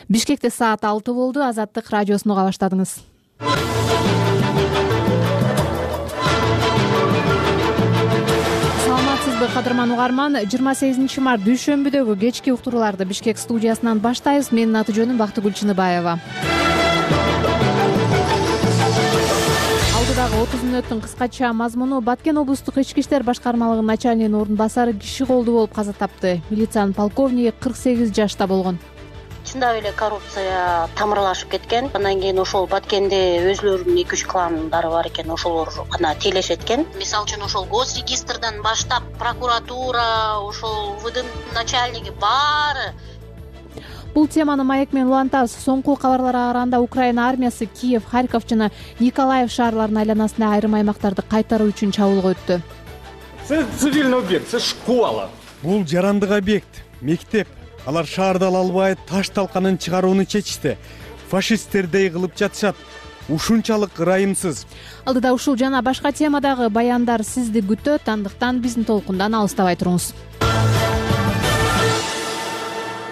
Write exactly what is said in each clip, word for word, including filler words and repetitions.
Бишкекте саат алты болду. Азаттык радиосун уга баштадыңыз. Саламатсызбы кадырман угарман. жыйырма сегизинчи март дүйшөмбүдөгү кечки уктурууларды Бишкек студиясынан баштайбыз. Менин аты жөнүм Бактыгүл Чыныбаева. Алдыдагы отуз мүнөттүн кыскача мазмуну: Баткен облустук ички иштер башкармалыгынын начальнигинин орун басары киши колду болуп каза тапты. Милициянын полковниги кырк сегиз жашта болгон. Чындап эле коррупция тамырлашып кеткен. Андан кийин ошол Баткенде өзүлөрүнүн эки үч кландары бар экен, ошолор гана тейлешет экен. Мисалы үчүн ошол госрегистрдан баштап прокуратура, ошол УВДнын начальниги баары. Бул теманы маек менен улантабыз. Соңку кабарларга караганда Украина армиясы Киев, Харьков жана Николаев шаарларынын айланасында айрым аймактарды кайтаруу үчүн чабуулга өттү. Це цивильный объект, це школа. Бул жарандык объект, мектеп. Алар шаарда ала албай таш талканын чыгарууну чечишти. Фашисттердей кылып жатышат. Ушунчалык ырайымсыз. Алдыда ушул жана башка темадагы баяндар сизди күтөт. Андыктан биздин толкундан алыстабай туруңуз.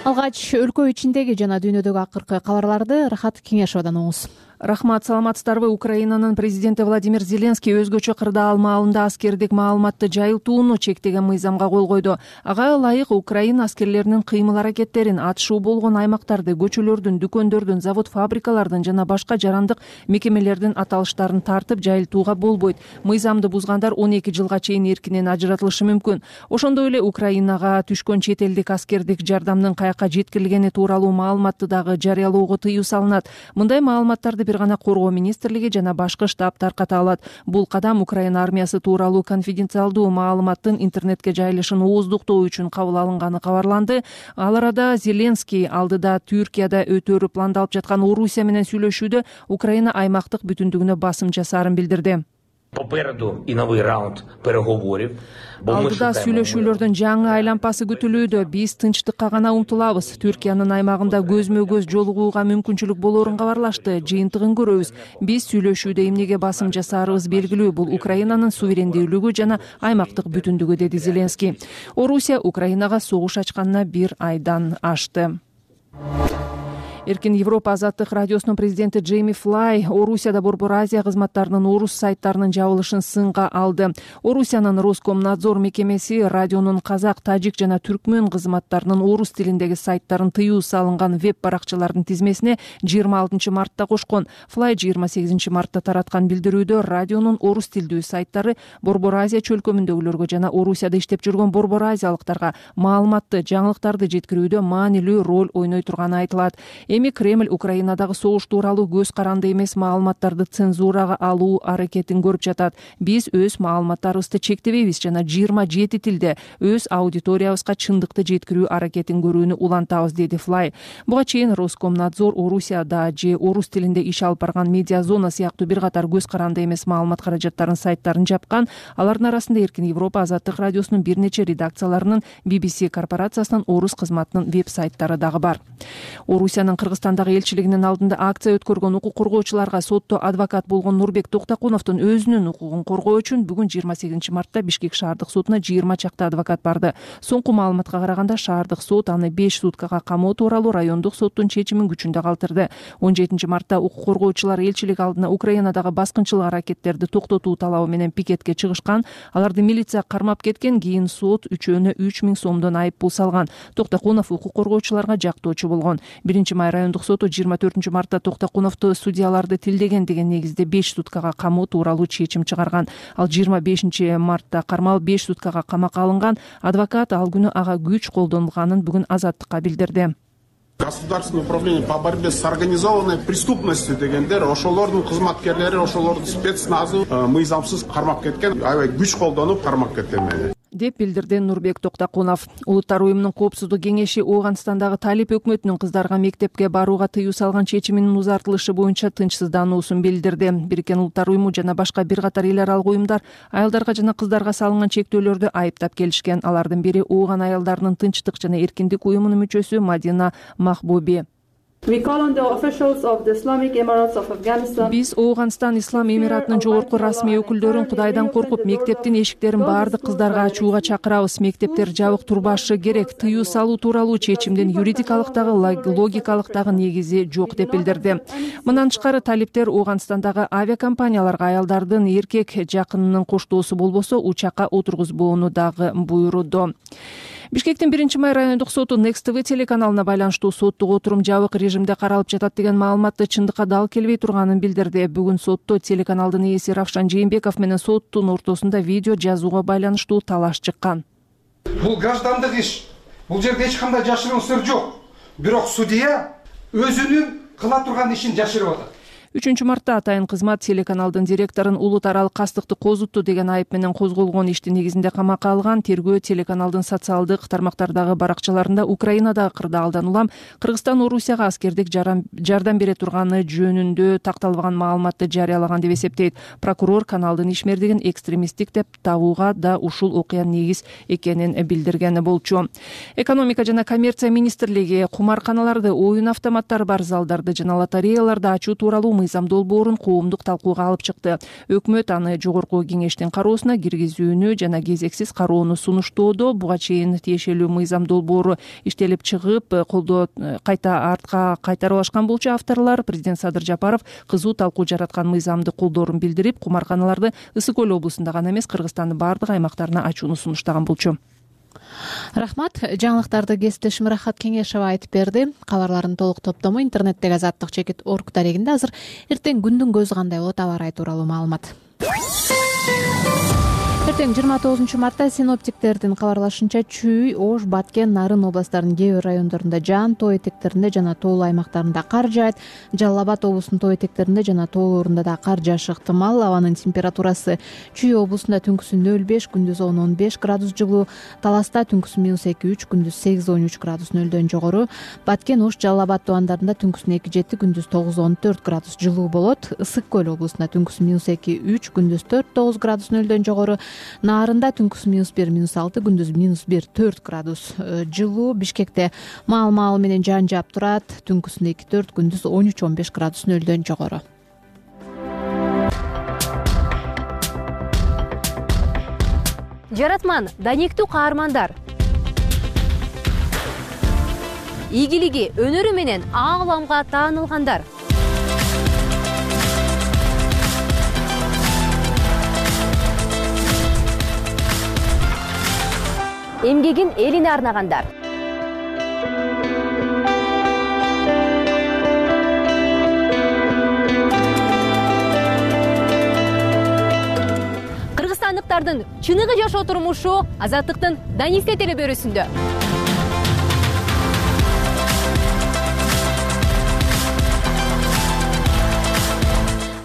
Алгач өлкө ичиндеги жана дүйнөдөгү акыркы кабарларды Рахат Кеңешовдон угуңуз. Рахмат, саламатсыздарбы. Украинанын президенти Владимир Зеленский өзгөчө кырдаал маалында аскердик маалыматты жайылтууну чектеген мыйзамга кол койду. Ага ылайык Украина аскерлеринин кыймыл аракеттерин, атышуу болгон аймактарды, көчөлөрдүн, дүкөндөрдүн, завод фабрикалардын жана башка жарандык мекемелердин аталыштарын тартып жайылтууга болбойт. Мыйзамды бузгандар он эки жылга чейин эркинен ажыратылышы мүмкүн. Ошондой эле Украинага түшкөн чет элдик аскердик жардамдын каяка жеткирилгени тууралуу маалыматты дагы жарыялоого тыюу салынат. Мындай маалыматтарды бир гана коргоо министрлиги жана башкы штаб тарката алат. Бул кадам Украина армиясы тууралуу конфиденциалдуу маалыматтын интернетке жайылышын ооздуктоо үчүн кабыл алынганы кабарланды. Ал арада Зеленский алдыда Түркияда өтөөрү пландалып жаткан Орусия менен сүйлөшүүдө Украина аймактык бүтүндүгүнө басым жасаарын билдирди. Попереду и новый раунд переговоров. Алдыда сүйлөшүүлөрдүн жаңы айланпасы күтүлүүдө. Биз тынчтыкка гана умтулабыз. Түркиянын аймагында көзмө көз жолугууга мүмкүнчүлүк болоорун кабарлашты. Жыйынтыгын көрөбүз. Биз сүйлөшүүдө эмнеге басым жасаарыбыз белгилүү. Бул Украинанын суверендүүлүгү жана аймактык бүтүндүгү, деди Зеленский. Орусия Украинага согуш ачканына бир айдан ашты. Эркин Европа азаттык радиосунун президенти Джейми Флай Орусияда Борбор Азия кызматтарынын орус сайттарынын жабылышын сынга алды. Орусиянын Роскомнадзор мекемеси радионун казак, тажик жана түркмөн кызматтарынын орус тилиндеги сайттарын тыюу салынган веб баракчалардын тизмесине жыйырма алтынчы мартта кошкон. Флай жыйырма сегизинчи мартта тараткан билдирүүдө радионун орус тилдүү сайттары Борбор Азия чөлкөмүндөгүлөргө жана Орусияда иштеп жүргөн борбор азиялыктарга маалыматты, жаңылыктарды жеткирүүдө маанилүү роль ойной турганы айтылат. Эми Кремль Украинадагы согуш тууралуу көз каранды эмес маалыматтарды цензурага алуу аракетин көрүп жатат. Биз өз маалыматтарыбызды чектебейбиз жана жыйырма жети тилде өз аудиториябызга чындыкты жеткирүү аракетин көрүүнү улантабыз, деди Флай. Буга чейин Роскомнадзор Орусияда же орус тилинде иш алып барган Медиа зона сыяктуу бир катар көз каранды эмес маалымат каражаттарын сайттарын жапкан. Алардын арасында Эркин Европа азаттык радиосунун бир нече редакцияларынын би би си корпорациясынын орус кызматынын веб сайттары дагы бар. Орусиянын Кыргызстандагы элчилигинин алдында акция өткөргөн укук коргоочуларга сотто адвокат болгон Нурбек Токтакуновдун өзүнүн укугун коргоо үчүн бүгүн жыйырма сегизинчи мартта Бишкек шаардык сотуна жыйырма чакты адвокат барды. Соңку маалыматка караганда шаардык сот аны беш суткага камоо тууралуу райондук соттун чечимин күчүндө калтырды. он жетинчи мартта укук коргоочулар элчилик алдына Украинадагы баскынчылык аракеттерди токтотуу талабы менен пикетке чыгышкан. Аларды милиция кармап кеткен. Кийин сот үчөөнө үч миң сомдон айып пул салган. Токтакунов укук коргоочуларга жактоочу болгон. биринчи май райондук соту жыйырма төртүнчү мартта Токтакуновду судьяларды тилдеген деген негизде беш суткага камоо тууралуу чечим чыгарган. Ал жыйырма бешинчи мартта кармалып беш суткага камакка алынган. Адвокат ал күнү ага күч колдонулганын бүгүн азаттыкка билдирди. Государственное управление по борьбе с организованной преступностью дегендер ошолордун кызматкерлери, ошолордун спецназы мыйзамсыз кармап кеткен, аябай күч колдонуп кармап кеткен мени, деп билдирди Нурбек Токтакунов. Улуттар уюмунун коопсуздук кеңеши Ооганстандагы Талип өкмөтүнүн кыздарга мектепке барууга тыюу салган чечиминин узартылышы боюнча тынчсыздануусун билдирди. Бириккен Улуттар уюму жана башка бир катар эл аралык уюмдар аялдарга жана кыздарга салынган чектөөлөрдү айыптап келишкен. Алардын бири Ооган аялдарынын тынчтык жана эркиндик уюмунун мүчөсү Мадина Махбуби. Биз Ооганстан Ислам Эмиратынын жогорку расмий өкүлдөрүн Кудайдан коркуп, мектептин эшиктерин баардык кыздарга ачууга чакырабыз. Мектептер жабык турбашы керек. Тыюу салуу тууралуу чечимдин юридикалык дагы логикалык дагы негизи жок деп билдирди. Мындан тышкары талиптер Ооганстандагы авиакомпанияларга аялдардын эркек жакынынын коштоосу болбосо учакка отургузбоону дагы буйруду. Бишкектин биринчи май райондук соту Next ти ви телеканалына байланыштуу соттук отурум жабык режимде каралып жатат деген маалыматты чындыкка дал келбей турганын билдирди. Бүгүн сотто телеканалдын ээси Равшан Жээнбеков менен соттун ортосунда видео жазууга байланыштуу талаш чыккан. Бул граждандык иш. Бул жерде эч кандай жашыруун сыр жок. Бирок судья өзүнүн кыла турган ишин жашырып атат. үчүнчү мартта Атайын кызмат телеканалдын директорун улут аралык кастыкты козутту деген айып менен козголгон иштин негизинде камакка алган. Тергөө телеканалдын социалдык тармактардагы баракчаларында Украинадагы кырдаалдан улам Кыргызстан Орусияга аскердик жардам бере турганы жөнүндө такталбаган маалыматты жарыялаган деп эсептейт. Прокурор каналдын ишмердигин экстремисттик деп табууга да ушул окуя негиз экенин билдирген болчу. Экономика жана коммерция министрлиги кумарканаларды, оюн автоматтары бар залдарды жана лотереяларды ачуу тууралуу мыйзам долбоорун коомдук талкууга алып чыкты. Өкмөт аны жогорку кеңештин кароосуна киргизүүнү жана кезексиз кароону сунуштоодо. Буга чейин тиешелүү мыйзам долбоору иштелип чыгып, колдоо кайта артка кайтарып алышкан болчу. Авторлор президент Садыр Жапаров кызуу талкуу жараткан мыйзамды колдоорун билдирип, кумарканаларды Ысык Көл облусунда гана эмес, Кыргызстандын баардык аймактарына ачууну сунуштаган болчу. Рахмат. Жаңылыктарды кесиптешим Рахат Кеңешова айтып берди. Кабарлардын толук топтому интернеттеги азаттык чекит орг дарегинде. Азыр эртең күндүн көзү кандай болот, аба ырайы тууралуу маалымат. Эртең жыйырма тогузунчу мартта синоптиктердин кабарлашынча Чүй, Ош, Баткен, Нарын областарынын кээ бир райондорунда жаан, тоо этектеринде жана тоолуу аймактарында кар жаайт. Жалал Абад облусунун тоо этектеринде жана тоолорунда да кар жаашы ыктымал. Абанын температурасы Чүй облусунда түнкүсү нөл беш, күндүз он он беш градус жылуу. Таласта түнкүсү минус эки үч, күндүз сегиз он үч градус нөлдөн жогору. Баткен, Ош, Жалал Абад тубандарында түнкүсү эки жети, күндүз тогуз он төрт градус жылуу болот. Ысык Көл облусунда түнкүсү минус эки үч, күндүз төрт тогуз градус нөлдөн жогору. Нарында түнкүсү минус бир, минус алты, күндүз минус бир, төрт градус жылуу. Бишкекте маал-маал менен жаан жаап турат. Түнкүсү эки төрт, күндүз он үч он беш градус нөлдөн жогору. Жаратман, даниктүү каармандар. Ийгилиги, өнөрү менен ааламга таанылгандар. Эмгегин элине арнагандар. Кыргызстандыктардын чыныгы жашоо турмушу Азаттыктын Данисте телебөрүсүндө.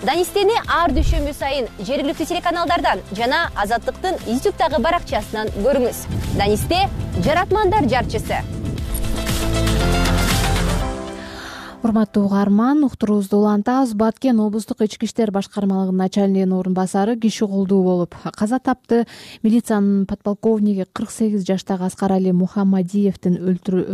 Данистени ар дүйшөмбү сайын жергиликтүү телеканалдардан жана Азаттыктын ютубтагы баракчасынан көрүңүз. Данисте — жаратмандар жарчысы. Урматтуу угарман, уктуруубузду улантабыз. Баткен облустук ички иштер башкармалыгынын начальнигинин орун басары киши колдуу болуп каза тапты. Милициянын подполковниги кырк сегиз жаштагы Аскарали Мухаммадиевдин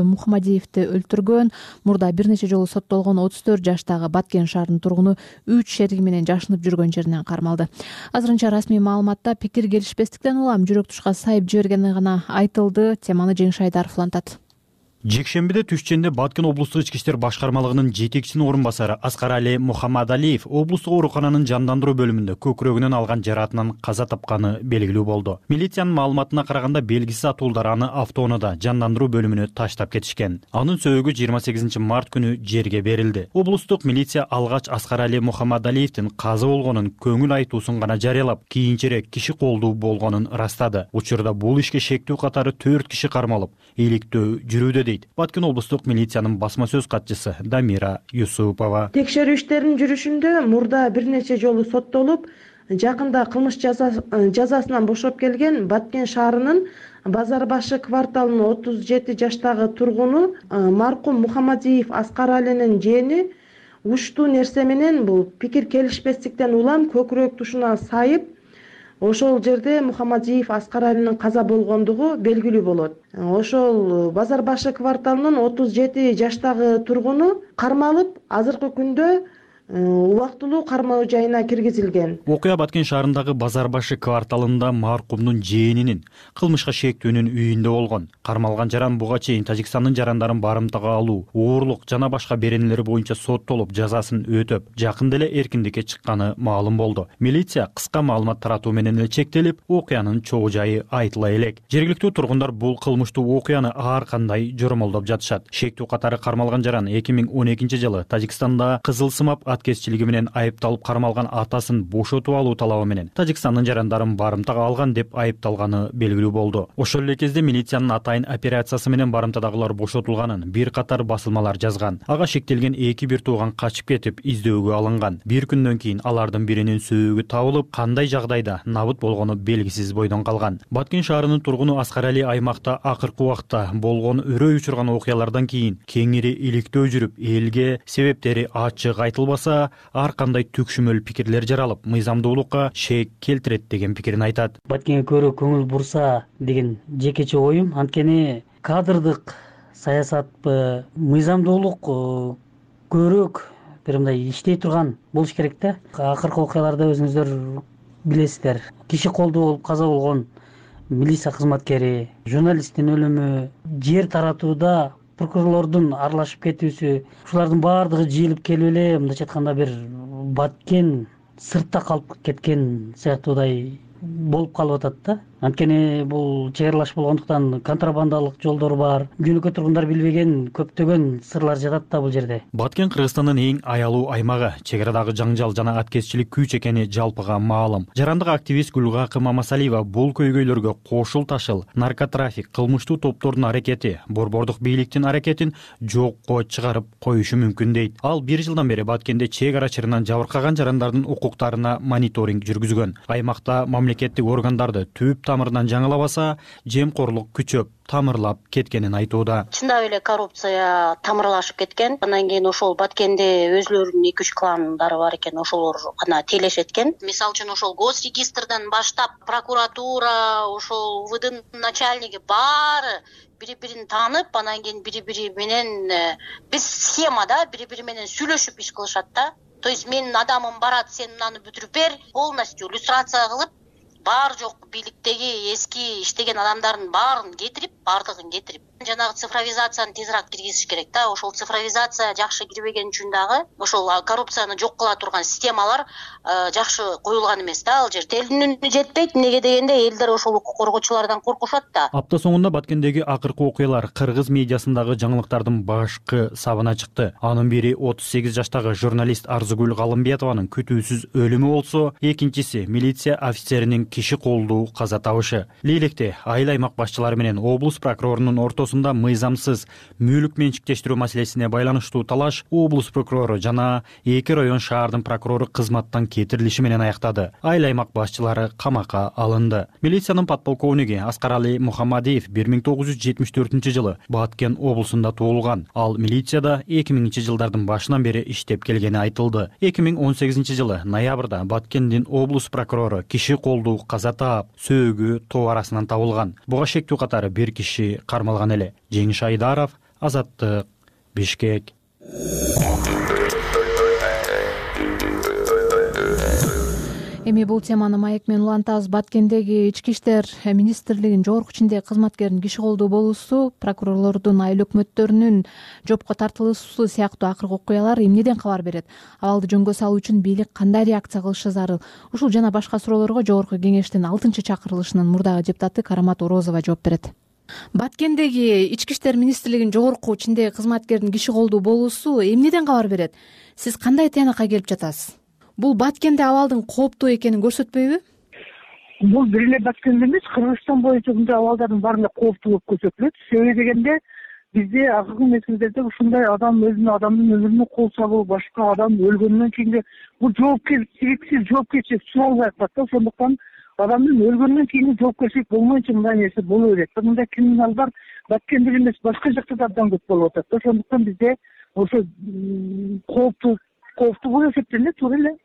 Мухаммадиевди өлтүргөн. Мурда бир нече жолу соттолгон отуз төрт жаштагы Баткен шаарынын тургуну үч шериги менен жашынып жүргөн жеринен кармалды. Азырынча расмий маалыматта пикир келишпестиктен улам жүрөк тушка сайып жибергени гана айтылды. Теманы Жеңиш Айдаров улантат. Жекшембиде түшченде Баткен облустук ички иштер башкармалыгынын жетекчисинин орун басары Аскарали Мухаммадалиев облустук оорукананын жандандыруу бөлүмүндө көкүрөгүнөн алган жараатынан каза тапканы белгилүү болду. Милициянын маалыматына караганда белгисиз атуулдар аны автоунаада жандандыруу бөлүмүнө таштап кетишкен. Анын сөөгү жыйырма сегизинчи март күнү жерге берилди. Облустук милиция алгач Аскарали Мухаммадалиевдин каза болгонун көңүл айтуусун гана жарыялап, кийинчерээк киши колдуу болгонун ырастады. Учурда бул ишке шектүү катары төрт киши кармалып, иликтөө жүрүүдө. Баткен облустук милициянын басма сөз катчысы Дамира Юсупова. Текшерүү иштеринин жүрүшүндө мурда бир нече жолу соттолуп, жакында кылмыш жазасынан бошоп келген Баткен шаарынын Базар башы кварталынын отуз жети жаштагы тургуну маркум Мухаммадиев Аскаралинин жээни уштуу нерсе менен бул пикир келишпестиктен улам көкүрөк тушуна сайып, ошол жерде Мухаммадиев Аскар Алинин каза болгондугу белгилүү болот. Ошол Базар башы кварталынын отуз жети жаштагы тургуну кармалып, азыркы күндө убактылуу кармоо жайына киргизилген. Окуя Баткен шаарындагы Базар башы кварталында маркумдун жээнинин кылмышка шектүүнүн үйүндө болгон. Кармалган жаран буга чейин Тажикстандын жарандарын барымтага алуу, оорлук жана башка беренелери боюнча соттолуп, жазасын өтөп, жакында эле эркиндикке чыкканы маалым болду. Милиция кыска маалымат таратуу менен эле чектелип, окуянын чогуу жайы айтыла элек. Жергиликтүү тургундар бул кылмыштуу окуяны ар кандай жормолдоп жатышат. Шектүү катары кармалган жаран эки миң он экинчи жылы Тажикстанда кызыл сымап аткезчилиги менен айыпталып кармалган атасын бошотуп алуу талабы менен Тажикстандын жарандарын барымтага алган деп айыпталганы белгилүү болду. Ошол эле кезде милициянын атайын операциясы менен барымтадагылар бошотулганын бир катар басылмалар жазган. Ага шектелген эки бир тууган качып кетип издөөгө алынган. Бир күндөн кийин алардын биринин сөөгү табылып, кандай жагдайда набыт болгону белгисиз бойдон калган. Баткен шаарынын тургуну Аскар Али аймакта акыркы убакта болгон өрөй учурган окуялардан кийин кеңири иликтөө жүрүп, элге себептери ачык айтылбаса, ар кандай түкшүмөл пикирлер жаралып, мыйзамдуулукка шек келтирет деген пикирин айтат. Баткенге көбүрөөк көңүл бурса деген жекече оюм. Анткени кадрдык саясатпы, мыйзамдуулук көбүрөөк бир мындай иштей турган болуш керек да. Акыркы окуяларда өзүңүздөр билесиздер, киши колдуу болуп каза болгон милиция кызматкери, журналисттин өлүмү, жер таратууда прокурорлордун аралашып кетүүсү, ушулардын баардыгы жыйылып келип эле мындайча айтканда бир Баткен сыртта калып кеткен сыяктуудай болуп калып атат да. Анткени бул чек аралаш болгондуктан контрабандалык жолдор бар. Жөнөкөй тургундар билбеген көптөгөн сырлар жатат да бул жерде. Баткен Кыргызстандын эң аялуу аймагы, чек арадагы жаңжал жана аткезчилик күч экени жалпыга маалым. Жарандык активист Гүлгакы Мамасалиева бул көйгөйлөргө кошул ташыл, наркотрафик, кылмыштуу топтордун аракети, борбордук бийликтин аракетин жокко чыгарып коюшу мүмкүн дейт. Ал бир жылдан бери Баткенде чек ара чырынан жабыркаган жарандардын укуктарына мониторинг жүргүзгөн. Аймакта мамлекеттик органдарды түп тамырынан жаңылабаса, жемкорлук күчөп, тамырлап кеткенин айтууда. Чындап эле коррупция тамырлашып кеткен. Андан кийин ошол Баткенде өзлөрүнүн эки үч кландары бар экен, ошолор гана тейлешет экен. Мисалы үчүн ошол госрегистрден баштап прокуратура, ошол У В Днын начальниги баары бири-бирин таанып, анан кийин бири-бири менен биз схемада бири-бири менен сүйлөшүп иш кылышат да. То есть менин адамым барат, сен мынаны бүтүрүп бер, полностью иллюстрация кылып, бар жок бийликтеги эски иштеген адамдардын баарын кетирип, бардыгын кетирип, жанагы цифровизацияны тезирээк киргизиш керек да. Ошол цифровизация жакшы кирбеген үчүн дагы ошол коррупцияны жок кыла турган системалар жакшы коюлган эмес да ал жерде. Элдин үнү жетпейт, эмнеге дегенде элдер ошол укук коргоочулардан коркушат да. Апта соңунда Баткендеги акыркы окуялар кыргыз медиасындагы жаңылыктардын башкы сабына чыкты. Анын бири отуз сегиз жаштагы журналист Арзугүл Галымбетованын күтүүсүз өлүмү болсо, экинчиси милиция офицеринин киши колдуу каза табышы. Лейлекте айыл аймак башчылары менен облус прокурорунун ортосунда мыйзамсыз мүлк менчиктештирүү маселесине байланыштуу талаш облус прокурору жана эки район шаардын прокурору кызматтан кетирилиши менен аяктады. Айыл аймак башчылары камакка алынды. Милициянын подполковниги Аскар Али Мухаммадиев бир миң тогуз жүз жетимиш төртүнчү жылы Баткен облусунда туулган. Ал милицияда эки миңинчи жылдардын башынан бери иштеп келгени айтылды. эки миң он сегизинчи жылы ноябрда Баткендин облус прокурору киши колдуу каза таап, сөөгү тоо арасынан табылган. Буга шектүү катары бир киши кармалган эле. Жеңиш Айдаров, Азаттык, Бишкек. Эми бул теманы маек менен улантабыз. Баткендеги ички иштер министрлигинин жогорку чиндеги кызматкеринин киши колдуу болуусу, прокурорлордун айыл өкмөттөрүнүн жопко тартылуусу сыяктуу акыркы окуялар эмнеден кабар берет? Абалды жөнгө салуу үчүн бийлик кандай реакция кылышы зарыл? Ушул жана башка суроолорго жогорку кеңештин алтынчы чакырылышынын мурдагы депутаты Карамат Орозова жооп берет. Баткендеги ички иштер министрлигинин жогорку чиндеги кызматкеринин киши колдуу болуусу эмнеден кабар берет? Сиз кандай тыянакка келип жатасыз? Бул Баткенде абалдын кооптуу экенин көрсөтпөйбү? Бул бир эле Баткенде эмес, Кыргызстан боюнча мындай абалдардын баары кооптуу болуп көрсөтүлөт. Себеби дегенде бизде акыркы мезгилдерде ушундай адам өзүнүн адамдын өмүрүнө кол салуу, башка адам өлгөндөн кийинги бул жоопкерчиликсиз жоопкерчилик суалбай калат да. Ошондуктан адамдын өлгөндөн кийинки жоопкерчилик болмойнчо мындай нерсе боло берет. Мындай криминалдар Баткенде эле эмес, башка жакта да абдан көп болуп атат. Ошондуктан бизде ошо кооптуу кооптуу болуп эсептелет, туура эле.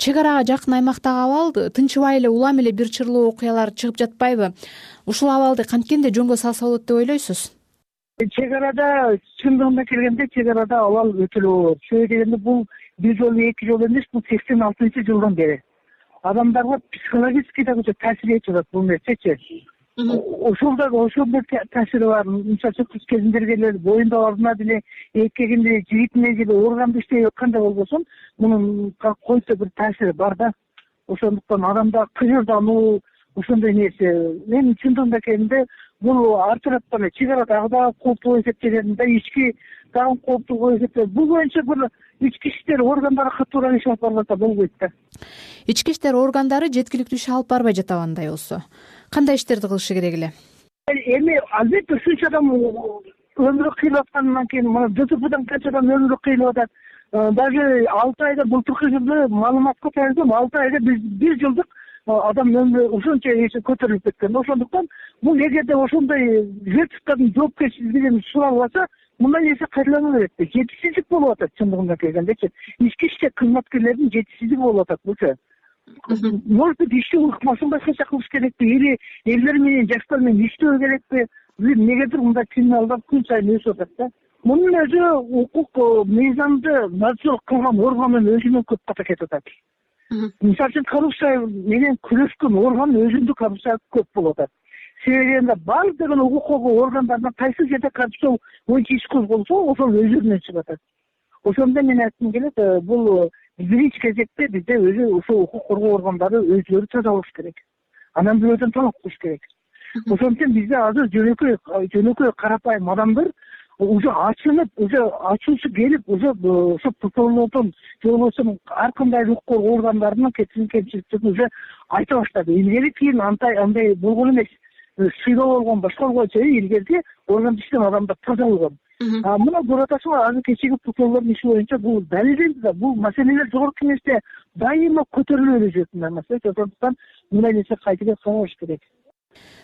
чек арага жакын аймактагы абал тынчыбай эле улам эле бир чырлуу окуялар чыгып жатпайбы? Ушул абалды канткен жөнгө салса болот деп ойлойсуз? Чек арада чындыгына келгенде чек арада абал өтө эле болот. Себеби дегенде бул бир жолу эки жолу эмес, бул сексен алтынчы жылдан бери адамдарга психологический да таасир этип атат бул нерсечи. Ошол да ошондой таасири бар. Мисалы үчүн кыз кезиндеги эле боюнда ордуна деле эркегинде жигитине деле органды иштеп аткандай болбосун, мунун койсо бир таасири бар да. Ошондуктан адамда кыйырдануу ошондой нерсе. Мен чындыгында келгенде бул ар тараптан чек ара дагы да кооптуу эсептелген да, ички дагы кооптуу эсептелет. Бул боюнча бир ички иштер органдары катуураак иш алып барбаса болбойт да. Ички иштер органдары жеткиликтүү иш алып барбай жатабы андай болсо? Кандай иштерди кылышы керек эле? Эми албетте ушунча адам өмүрү кыйылып аткандан кийин мына ДТПдан канча адам өмүрү кыйылып атат. Даже алты айда былтыркы жылы маалыматка таянсам алты айда биз бир жылдык адам өмүрү ушунча көтөрүлүп кеткен. Ошондуктан бул эгерде ошондой жертвалардын жоопкерчилигин суралып атса, мындай нерсе кайталана берет да. Жетишсиздик болуп атат чындыгында келгендечи. Ички иштер кызматкерлердин жетишсиздиги болуп атат булчу. Может быть, иштөө ыкмасын башкача кылыш керекпи, или элдер менен жаштар менен иштөө керекпи? Негедир мындай криминалдар күн сайын өсүп атат да. Мунун өзү укук мыйзамды надзор кылган органдын өзүнөн көп ката кетип атат. Мисалы үчүн коррупция менен күрөшкөн орган өзүндө коррупция көп болуп атат. Себеби баардыгын укук коргоо органдарынан кайсы жерде коррупция боюнча иш козголсо, ошол өзүнөн чыгып атат. Ошондо мен айткым келет, бул биринчи кезекте бизде өзү ошол укук коргоо органдары өзүлөрү таза болуш керек. Анан бирөөдөн талап кылыш керек. Ошон үчүн бизде азыр жөнөкөй жөнөкөй карапайым адамдар уже ачынып, уже ачуусу келип, уже ошо прокурорлордон же болбосо ар кандай укук коргоо органдарынын кетирген кемчиликтерин уже айта баштады. Илгери кийин андай андай болгон эмес. Сыйдоо болгон башка болгончо илгерки орган иштеген адамдар таза болгон. А мына көрөтасыңбы, азыр кечеги прокурорлордун иши боюнча бул далилденди да, бул маселелер жогорку кеңеште дайыма көтөрүлө берет нерсе. Ошондуктан мындай нерсе кайтадан каралыш керек.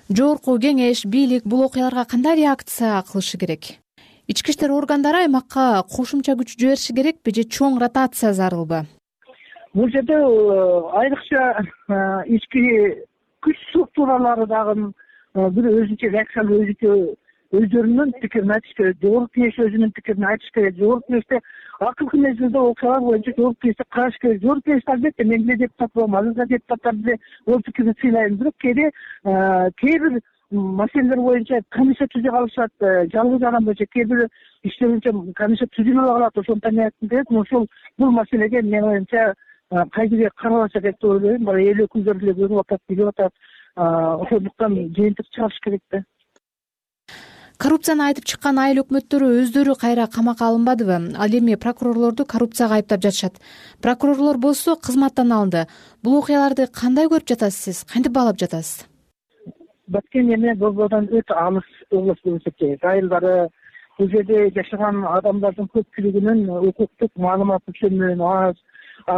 Жогорку кеңеш, бийлик бул окуяларга кандай реакция кылышы керек? Ички иштер органдары аймакка кошумча күч жибериши керекпи же чоң ротация зарылбы? Бул жерде айрыкча ички күч структуралары дагы бир өзүнчө реакциялуу өзүнчө өздөрүнүн пикирин айтыш керек. Жогорку кеңеш өзүнүн пикирин айтыш керек. Жогорку кеңеште акыркы мезгилде окуялар боюнча жогорку кеңеште караш керек. Жогорку кеңеште албетте мен деле депутат болом, азыркы депутаттар деле ой пикирин сыйлайм, бирок кээде кээ бир маселелер боюнча комиссия түзүп алышат, жалгыз адам боюнча кээ бир иштер боюнча комиссия түзүлбөй калат. Ошондуктан мен айткым келет, ошол бул маселеге мен оюмча кайдыгер каралса керек деп ойлойм. Бара эл өкүлдөрү деле көрүп атат, билип атат. Ошондуктан жыйынтык чыгарыш керек да. Коррупцияны айтып чыккан айыл өкмөттөрү өздөрү кайра камакка алынбадыбы? Ал эми прокурорлорду коррупцияга айыптап жатышат. Прокурорлор болсо кызматтан алынды. Бул окуяларды кандай көрүп жатасыз сиз? Кантип баалап жатасыз? Баткен эми Борбордон өтө алыс область болуп эсептелет. Айылдары, бул жерде жашаган адамдардын көпчүлүгүнүн укуктук маалыматы чөмөн аз.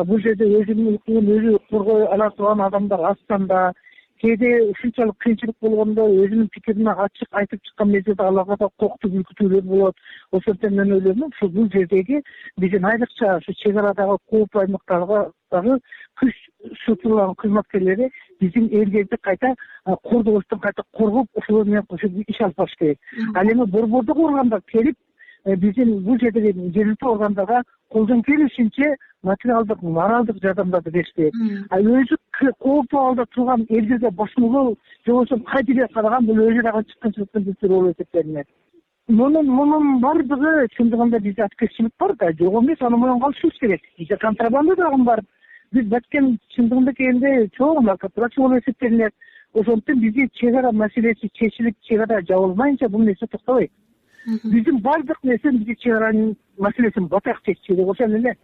Бул жерде өзүнүн укугун өзү коргой ала турган адамдар аздан да. Кээде ушунчалык кыйынчылык болгондо өзүнүн пикирин ачык айтып чыккан мезгилде аларга да коктук үркүтүүлөр болот. Ошондуктан мен ойлойм, ушул бул жердеги биздин айрыкча ушу чек арадагы кооптуу аймактарга дагы күч структураларынын кызматкерлери биздин элдерди кайта кордобостон кайта коргоп, ошолор менен кошуп иш алып барыш керек. Ал эми борбордук органдар келип биздин бул жердеги жергиликтүү органдарга колдон келишинче материалдык, моралдык жардамдарды бериш керек. А өзү кооптуу абалда турган элдерге бошмолоо же болбосо кайдыгер караган бул өзү дагы чыккынчылыктын бир түрү болуп эсептелинет. Мунун мунун баардыгы чындыгында бизде открытчылык бар да, жок эмес, аны моюнга алышыбыз керек. Бизде контрабанда дагы бар. Биз Баткен чындыгында келгенде чоң наркотрафик болуп эсептелинет. Ошондуктан бизде чек ара маселеси чечилип, чек ара жабылмайынча бул нерсе токтобойт. Биздин баардык нерсе бизде чек аранын маселесин батак чечиш керек, ошол эле.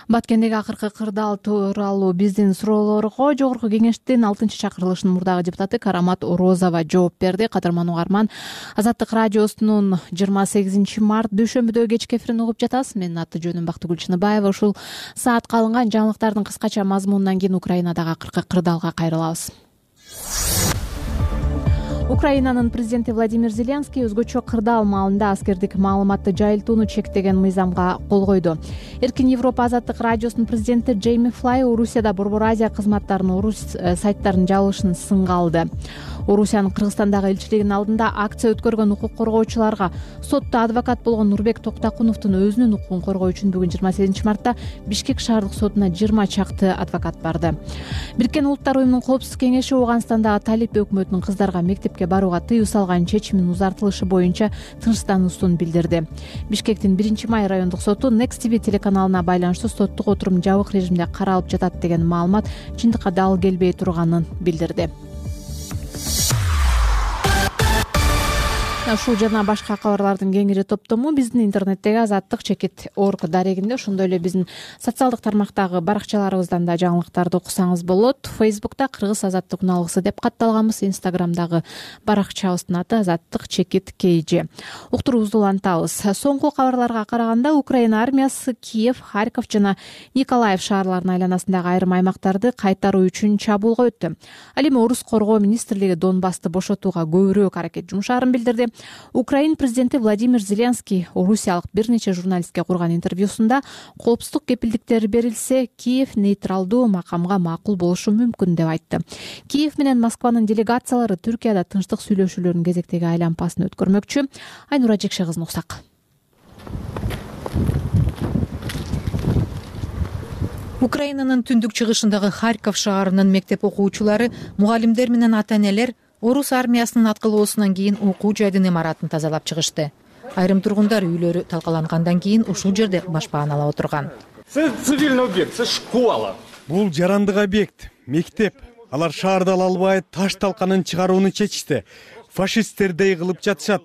Баткендеги акыркы кырдаал тууралуу биздин суроолорго жогорку кеңештин алтынчы чакырылышынын мурдагы депутаты Карамат Орозова жооп берди. Кадырман угарман, Азаттык радиосунун жыйырма сегизинчи март дүйшөмбүдөгү кечки эфирин угуп жатасыз. Менин аты жөнүм Бактыгүл Чыныбаева. Ушул саатка алынган жаңылыктардын кыскача мазмунунан кийин Украинадагы акыркы кырдаалга кайрылабыз. Украинанын президенти Владимир Зеленский өзгөчө кырдаал маалында аскердик маалыматты жайылтууну чектеген мыйзамга кол койду. Эркин Европа азаттык радиосунун президенти Джейми Флай Орусияда Борбор Азия кызматтарынын орус сайттарын жабылышын сынга алды. Орусиянын Кыргызстандагы элчилигинин алдында акция өткөргөн укук коргоочуларга сотто адвокат болгон Нурбек Токтакуновдун өзүнүн укугун коргоо үчүн бүгүн жыйырма сегизинчи мартта Бишкек шаардык сотуна жыйырма чакты адвокат барды. Бириккен Улуттар уюмунун коопсуздук кеңеши Ооганстандагы Талип өкмөтүнүн кыздарга мектепке барууга тыюу салган чечиминин узартылышы боюнча тынчтануусун билдирди. Бишкектин биринчи май райондук соту Next ти ви телеканалына байланыштуу соттук отурум жабык режимде каралып жатат деген маалымат чындыкка дал келбей турганын билдирди. Ушул жана башка кабарлардын кеңири топтому биздин интернеттеги азаттык чекит орг дарегинде, ошондой эле биздин социалдык тармактагы баракчаларыбыздан да жаңылыктарды окусаңыз болот. Фейсбукта Кыргыз азаттык уналгысы деп катталганбыз, Инстаграмдагы баракчабыздын аты азаттык чекит kg. Уктуруубузду улантабыз. Соңку кабарларга караганда Украина армиясы Киев, Харьков жана Николаев шаарларынын айланасындагы айрым аймактарды кайтаруу үчүн чабуулга өттү. Ал эми Орус коргоо министрлиги Донбассты бошотууга көбүрөөк аракет жумшаарын билдирди. Украин президенти Владимир Зеленский орусиялык бир нече журналистке курган интервьюсунда коопсуздук кепилдиктери берилсе, Киев нейтралдуу макамга макул болушу мүмкүн деп айтты. Киев менен Москванын делегациялары Түркияда тынчтык сүйлөшүүлөрүнүн кезектеги айлампасын өткөрмөкчү. Айнура Жекше кызын уксак. Украинанын түндүк чыгышындагы Харьков шаарынын мектеп окуучулары, мугалимдер менен ата-энелер Орус армиясынын аткылоосунан кийин окуу жайдын имаратын тазалап чыгышты. Айрым тургундар үйлөрү талкалангандан кийин ушул жерде башпааналап отурган. Это цивильный объект, это школа. Бул жарандык объект, мектеп. Алар шаарды ала албай таш талканын чыгарууну чечишти. Фашисттердей кылып жатышат.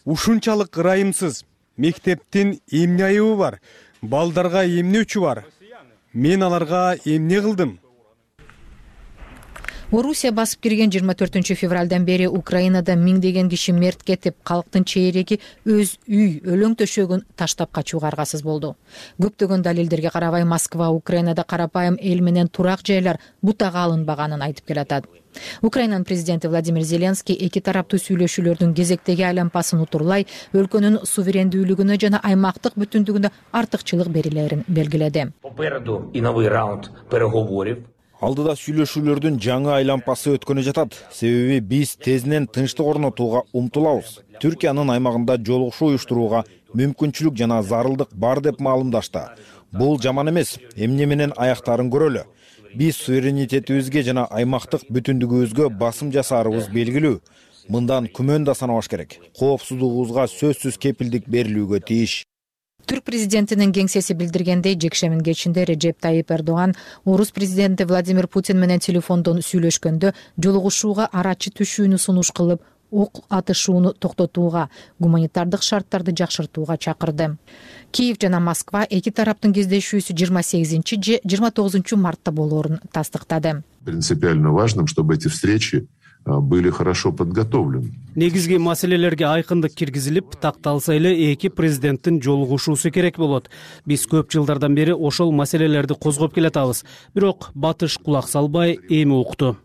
Ушунчалык ырайымсыз. Мектептин эмне айыбы бар? Балдарга эмне өчү бар? Мен аларга эмне кылдым? Орусия басып кирген жыйырма төртүнчү февралдан бери Украинада миңдеген киши мерт кетип, калктын чейреги өз үй, өлөң төшөгүн таштап качууга аргасыз болду. Көптөгөн далилдерге карабай Москва Украинада карапайым эл менен турак жайлар бутага алынбаганын айтып келатат. Украинанын президенти Владимир Зеленский эки тараптуу сүйлөшүүлөрдүн кезектеги айлампасын утурлай, өлкөнүн суверендүүлүгүнө жана аймактык бүтүндүгүнө артыкчылык берилерин белгиледи. Попереду и новый раунд переговоров. Алдыда сүйлөшүүлөрдүн жаңы айлампасы өткөнү жатат. Себеби биз тезинен тынчтык орнотууга умтулабыз. Түркиянын аймагында жолугушуу уюштурууга мүмкүнчүлүк жана зарылдык бар деп маалымдашты. Бул жаман эмес, эмне менен аяктарын көрөлү. Биз суверенитетибизге жана аймактык бүтүндүгүбүзгө басым жасаарыбыз белгилүү. Мындан күмөн да санабаш керек. Коопсуздугубузга сөзсүз кепилдик берилүүгө тийиш. Түрк президентинин кеңсеси билдиргендей, жекшемин кечинде Режеп Тайип Эрдоган Орус президенти Владимир Путин менен телефондон сүйлөшкөндө жолугушууга арачы түшүүнү сунуш кылып, ок атышууну токтотууга, гуманитардык шарттарды жакшыртууга чакырды. Киев жана Москва эки тараптын кездешүүсү жыйырма сегизинчи же жыйырма тогузунчу мартта болоорун тастыктады. Принципиально важным, чтобы эти встречи были хорошо подготовлены. Негизги маселелерге айкындык киргизилип, такталса эле эки президенттин жолугушуусу керек болот. Биз көп жылдардан бери ошол маселелерди козгоп келатабыз. Бирок батыш кулак салбай эми укту.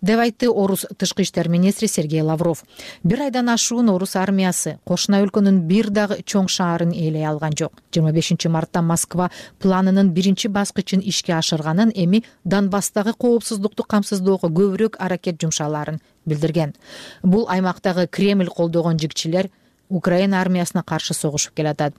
деп айтты Орус тышкы иштер министри Сергей Лавров. Бир айдан ашуун Орус армиясы кошуна өлкөнүн бир дагы чоң шаарын ээлей алган жок. жыйырма бешинчи мартта Москва планынын биринчи баскычын ишке ашырганын, эми Донбасстагы коопсуздукту камсыздоого көбүрөөк аракет жумшаларын билдирген. Бул аймактагы Кремль колдогон жигчилер Украина армиясына каршы согушуп келатат.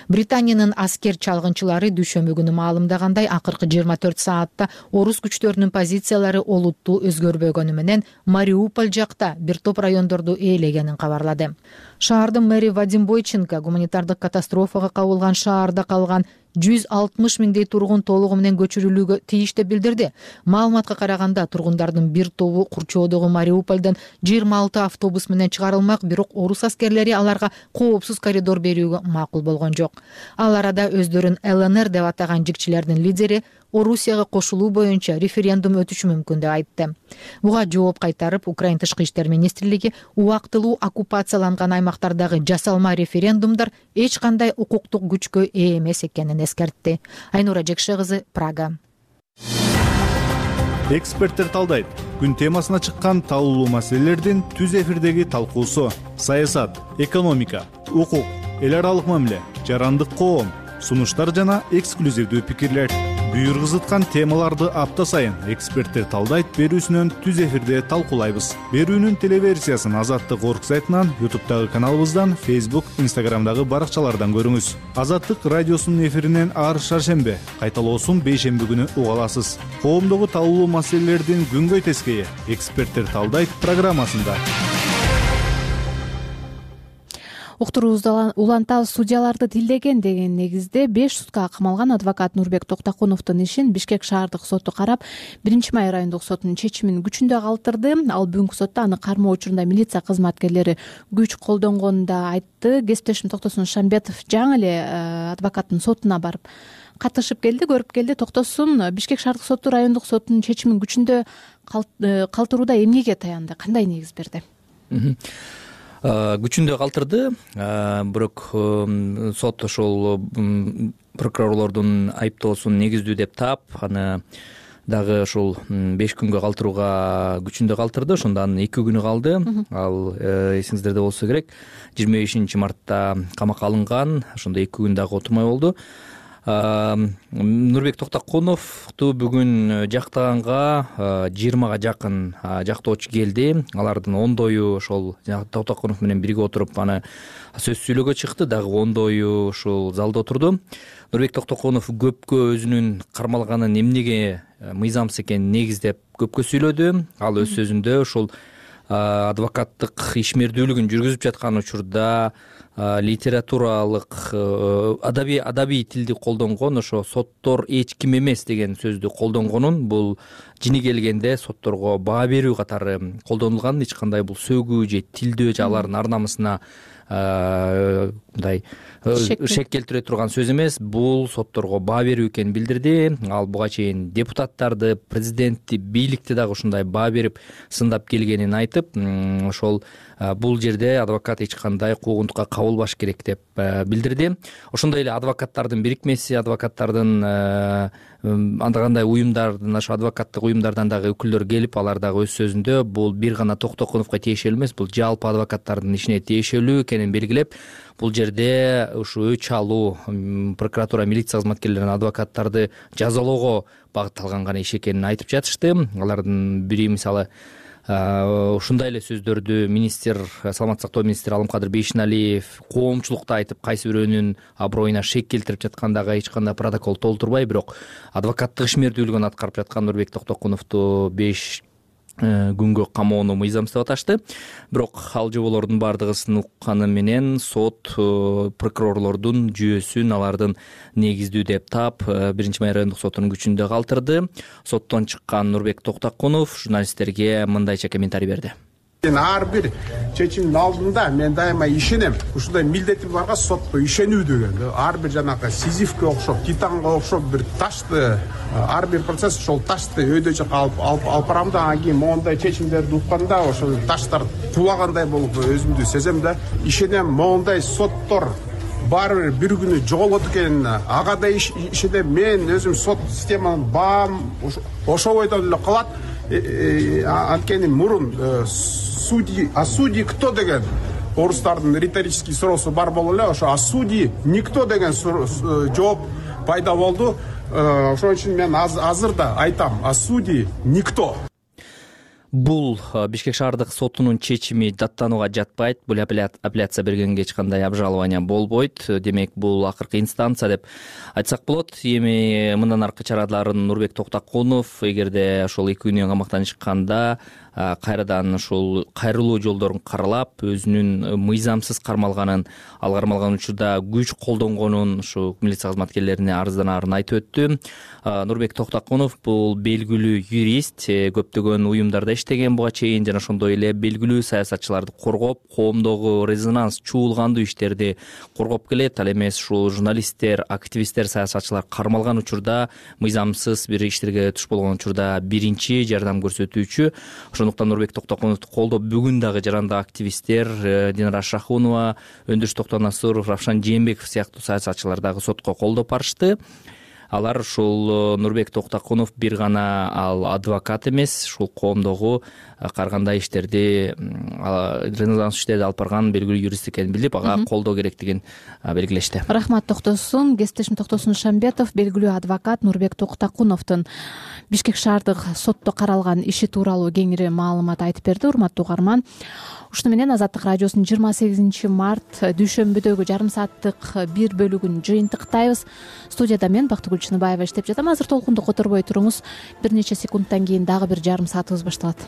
Британиянын аскер чалгынчылары дүйшөмбү күнү маалымдагандай, акыркы жыйырма төрт саатта орус күчтөрүнүн позициялары олуттуу өзгөрбөгөнү менен Мариуполь жакта бир топ райондорду ээлегенин кабарлады. Шаардын мэри Вадим Бойченко гуманитардык катастрофага кабылган шаарда калган жүз алтымыш миңдей тургун толугу менен көчүрүлүүгө тийиш деп билдирди. Маалыматка караганда, тургундардын бир тобу курчоодогу Мариупольдон жыйырма алты автобус менен чыгарылмак, бирок орус аскерлери аларга коопсуз коридор берүүгө макул болгон жок. Ал арада өздөрүн эл эн эр деп атаган жигчилердин лидери Орусияга кошулуу боюнча референдум өтүшү мүмкүн деп айтты. Буга жооп кайтарып, Украин тышкы иштер министрлиги убактылуу оккупацияланган аймактардагы жасалма референдумдар эч кандай укуктук күчкө ээ эмес экенин эскертти. Айнура Жекше кызы, Прага. Эксперттер талдайт. Күн темасына чыккан талуулуу маселелердин түз эфирдеги талкуусу. Саясат, экономика, укук, эл аралык мамиле, жарандык коом, сунуштар жана эксклюзивдүү пикирлер. Бүйүр кызыткан темаларды апта сайын эксперттер талдайт берүүсүнөн түз эфирде талкуулайбыз. Берүүнүн телеверсиясын Азаттык орг сайтынан, ютубтагы каналыбыздан, фейсбук, инстаграмдагы баракчалардан көрүңүз. Азаттык радиосунун эфиринен ар шаршембе, кайталоосун бейшемби күнү уга аласыз. Коомдогу талуулуу маселелердин күнгөй тескейи эксперттер талдайт программасында. Уктуруубузду улантабыз. Судьяларды тилдеген деген негизде беш суткага камалган адвокат Нурбек Токтокуновдун ишин Бишкек шаардык соту карап, биринчи май райондук сотунун чечимин күчүндө калтырды. Ал бүгүнкү сотто аны кармоо учурунда милиция кызматкерлери күч колдонгонун да айтты. Кесиптешим Токтосун Шамбетов жаңы эле адвокаттын сотуна барып катышып келди, көрүп келди. Токтосун, Бишкек шаардык соту райондук сотунун чечимин күчүндө калтырууда эмнеге таянды, кандай негиз берди? Күчүндө калтырды, бирок сот ошол прокурорлордун айыптоосун негиздүү деп таап, аны дагы ошол беш күнгө калтырууга күчүндө калтырды. Ошондо анын эки күнү калды. Ал эсиңиздерде болсо керек, жыйырма бешинчи мартта камакка алынган. Ошондо эки күн дагы отурмай болду. Нурбек Токтокуновду бүгүн жактаганга жыйырмага жакын жактоочу келди. Алардын ондою ошол Токтокунов менен бирге отуруп аны сөз сүйлөөгө чыкты, дагы ондою ушул залда отурду. Нурбек Токтокунов көпкө өзүнүн кармалганын эмнеге мыйзамсыз экенин негиздеп көпкө сүйлөдү. Ал өз сөзүндө ушул адвокаттык ишмердүүлүгүн жүргүзүп жаткан учурда литературалык адабий адабий тилди колдонгон, ошо соттор эч ким эмес деген сөздү колдонгонун, бул жини келгенде сотторго баа берүү катары колдонулган, эч кандай бул сөгүү же тилдөө же алардын ар намысына мындай шек келтире турган сөз эмес, бул сотторго баа берүү экенин билдирди. Ал буга чейин депутаттарды, президентти, бийликти дагы ушундай баа берип сындап келгенин айтып, ошол бул жерде адвокат эч кандай куугунтукка кабылбаш керек деп билдирди. Ошондой эле адвокаттардын бирикмеси, адвокаттардын анда кандай уюмдардын, ошо адвокаттык уюмдардан дагы өкүлдөр келип, алар дагы өз сөзүндө бул бир гана Токтокуновго тиешелүү эмес, бул жалпы адвокаттардын ишине тиешелүү экенин белгилеп, бул жерде ушу өч алуу прокуратура, милиция кызматкерлерин адвокаттарды жазалоого багытталган гана иш экенин айтып жатышты. Алардын бири мисалы ушундай эле сөздөрдү министр, саламаттык сактоо министри Алымкадыр Бейшеналиев коомчулукта айтып, кайсы бирөөнүн аброюна шек келтирип жаткандагы эч кандай протокол толтурбай, бирок адвокаттык ишмердүүлүгүн аткарып жаткан Нурбек Токтокуновду беш күнгө камоону мыйзамсыз деп аташты. Бирок ал жоболордун бардыгысын укканы менен сот прокурорлордун жүйөсүн алардын негиздүү деп таап, биринчи май райондук сотунун күчүндө калтырды. Соттон чыккан Нурбек Токтокунов журналисттерге мындайча комментарий берди. Ар бир чечимдин алдында мен дайыма ишенем. Ушундай милдетим барга сотко ишенүү деген. Ар бир жанагы Сизифке окшоп, Титанга окшоп бир ташты, ар бир процесс ошол ташты өйдө жака алып алып барам да, анан кийин моундай чечимдерди укканда ошол таштар тулагандай болуп өзүмдү сезем да. Ишенем, моундай соттор баары бир бир күнү жоголот экенин, ага да ишенем. Мен өзүм сот системанын баам ошол бойдон эле калат. Анткени мурун судьи, а судьи кто деген орустардын риторический суроосу бар болуп эле, ошо а судьи никто деген жооп пайда болду. Ошон үчүн мен азыр да айтам, а судьи никто. Бул Бишкек шаардык сотунун чечими даттанууга жатпайт. Бул апелляция бергенге эч кандай обжалование болбойт. Демек, бул акыркы инстанция деп айтсак болот. Эми мындан аркы чараларын Нурбек Токтокунов эгерде ошол эки күнү камактан чыкканда кайрадан ушул кайрылуу жолдорун каралап, өзүнүн мыйзамсыз кармалганын, ал кармалган учурда күч колдонгонун ушу милиция кызматкерлерине арызданарын айтып өттү. Нурбек Токтокунов бул белгилүү юрист, көптөгөн уюмдарда иштеген буга чейин, жана ошондой эле белгилүү саясатчыларды коргоп, коомдогу резонанс чуулгандуу иштерди коргоп келет. Ал эмес ушул журналисттер, активисттер, саясатчылар кармалган учурда, мыйзамсыз бир иштерге туш болгон учурда биринчи жардам көрсөтүүчү. Ошондуктан Нурбек Токтокуновду колдоп бүгүн дагы жарандык активисттер Динара Шахунова, Өндүрүш Токтонасуров, Равшан Жээнбеков сыяктуу саясатчылар дагы сотко колдоп барышты. алар ушул Нурбек Токтокунов бир гана ал адвокат эмес, ушул коомдогу ар кандай иштерди резонанс иштерди алып барган белгилүү юрист экенин билип, ага колдоо керектигин белгилешти. Рахмат Токтосун. Кесиптешим Токтосун Шамбетов белгилүү адвокат Нурбек Токтокуновдун Бишкек шаардык сотто каралган иши тууралуу кеңири маалымат айтып берди. Урматтуу угарман, ушуну менен Азаттык радиосунун жыйырма сегизинчи март дүйшөмбүдөгү жарым сааттык бир бөлүгүн жыйынтыктайбыз. Студияда мен Бактыгүл Чыныбаева иштеп жатам. Азыр толкунду которбой туруңуз. Бир нече секундтан кийин дагы бир жарым саатыбыз башталат.